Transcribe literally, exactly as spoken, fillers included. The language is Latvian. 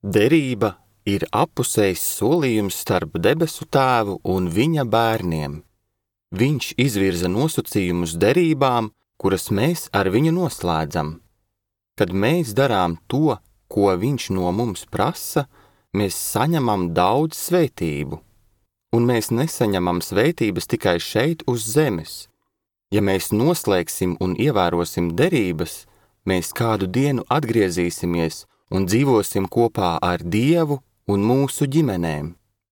Derība ir apusējs solījums starp debesu Tēvu un viņa bērniem. Viņš izvirza nosacījumus derībām, kuras mēs ar viņu noslēdzam. Kad mēs darām to, ko viņš no mums prasa, mēs saņemam daudz svētību. Un mēs nesaņemam svētības tikai šeit uz zemes. Ja mēs noslēgsim un ievērosim derības, mēs kādu dienu atgriezīsimies un dzīvosim kopā ar Dievu un mūsu ģimenēm.